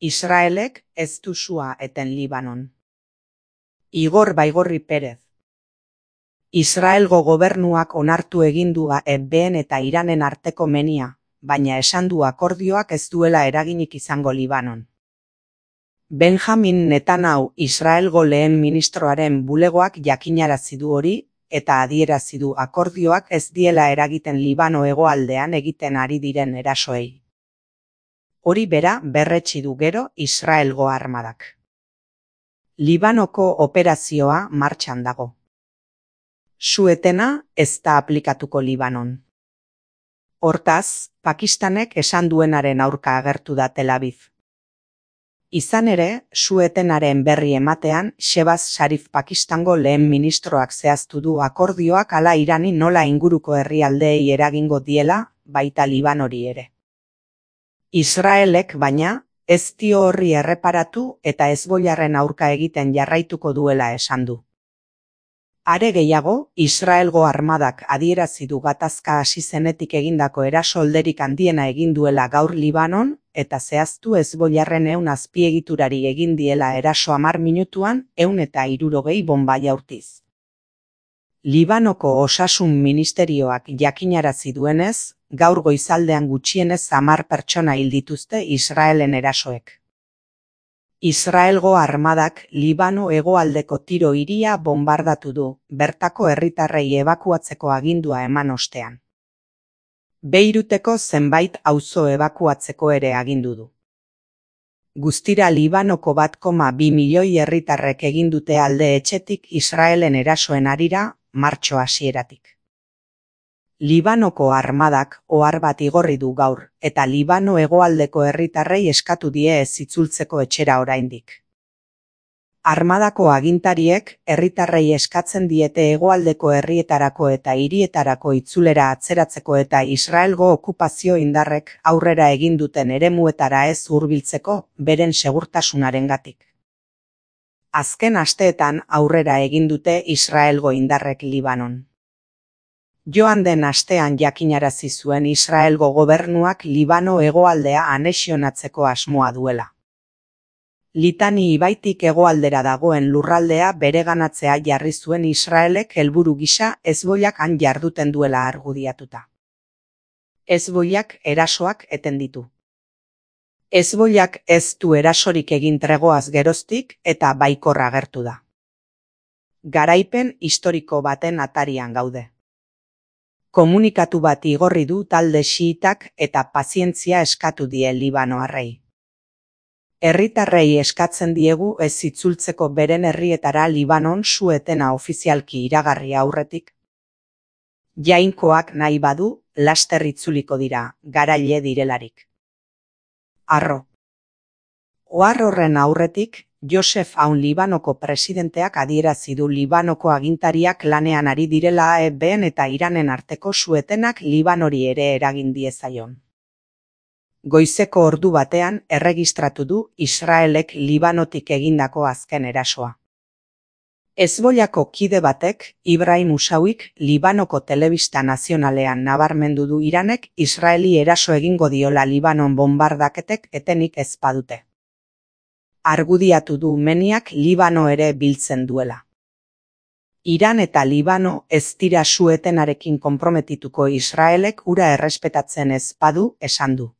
Israelek ez du sua eten Libanon. Igor Baigorri Perez. Israelgo gobernuak onartu egin du EBN eta Iranen arteko menia, baina esan du akordioak ez duela eraginik izango Libanon. Benjamin Netanyahu Israelgo lehen ministroaren bulegoak jakinarazi du hori, eta adierazi du akordioak ez diela eragiten Libano hegoaldean egiten ari diren erasoei. Hori bera berretsi du gero Israelgo armadak. Libanoko operazioa martxan dago. Su-etena ez da aplikatuko Libanon. Hortaz, Pakistanek esan duenaren aurka agertu da Tel Aviv. Izan ere, su-etenaren berri ematean, Shehbaz Sharif Pakistango lehen ministroak zehaztu du akordioak hala Irani nola inguruko herrialdeei eragingo diela, baita Libanori ere. Israelek, baina, ez dio horri erreparatu eta Hezbollarren aurka egiten jarraituko duela esan du. Are gehiago, Israelgo armadak adierazi du gatazka hasi zenetik egindako erasolderik handiena egin duela gaur Libanon, eta zehaztu Hezbollarren 100 azpiegiturari egin diela eraso 10 minutuan 160 bonba jaurtiz. Libanoko osasun ministerioak jakinarazi duenez, gaur goizaldean gutxienez 10 pertsona hil dituzte Israelen erasoek. Israelgo armadak Libano hegoaldeko Tiro hiria bonbardatu du, bertako herritarrei ebakuatzeko agindua eman ostean. Beiruteko zenbait auzo ebakuatzeko ere agindu du. Guztira Libanoko 1,2 milioi herritarrek egin dute alde etxetik Israelen erasoen harira, martxo hasieratik. Libanoko armadak ohar bat igorri du gaur, eta Libano hegoaldeko herritarrei eskatu die ez itzultzeko etxera oraindik. Armadako agintariek herritarrei eskatzen diete hegoaldeko herrietarako eta hirietarako itzulera atzeratzeko eta Israelgo okupazio indarrek aurrera egin duten eremuetara ez hurbiltzeko beren segurtasunarengatik. Azken asteetan aurrera egin dute Israelgo indarrek Libanon. Joan den astean jakinarazi zuen Israelgo gobernuak Libano hegoaldea anexionatzeko asmoa duela. Litani ibaitik hegoaldera dagoen lurraldea bereganatzea jarri zuen Israelek helburu gisa Hezbollak han jarduten duela argudiatuta. Hezbollak erasoak eten ditu. Hezbollak ez du erasorik egin tregoaz geroztik eta baikor agertu da. Garaipen historiko baten atarian gaude. Komunikatu bat igorri du talde xiitak eta pazientzia eskatu die Libanoarrei. Herritarrei eskatzen diegu ez itzultzeko beren herrietara Libanon su-etena ofizialki iragarri aurretik. Jainkoak nahi badu, laster itzuliko dira, garaile direlarik. Arro. Ohar horren aurretik, Joseph Aoun Libanoko presidenteak adierazi du Libanoko agintariak lanean ari direla EBN eta Iranen arteko su-etenak Libanori ere eragin diezaion. Goizeko ordu batean erregistratu du Israelek Libanotik egindako azken erasoa. Hezbollako kide batek, Ibrahim Musawik, Libanoko telebista nazionalean nabarmendu du Iranek Israeli eraso egingo diola Libanon bonbardaketek etenik ez badute. Argudiatu du meniak Libano ere biltzen duela. Iran eta Libano ez dira su-etenarekin konprometituko Israelek hura errespetatzen ez badu esan du.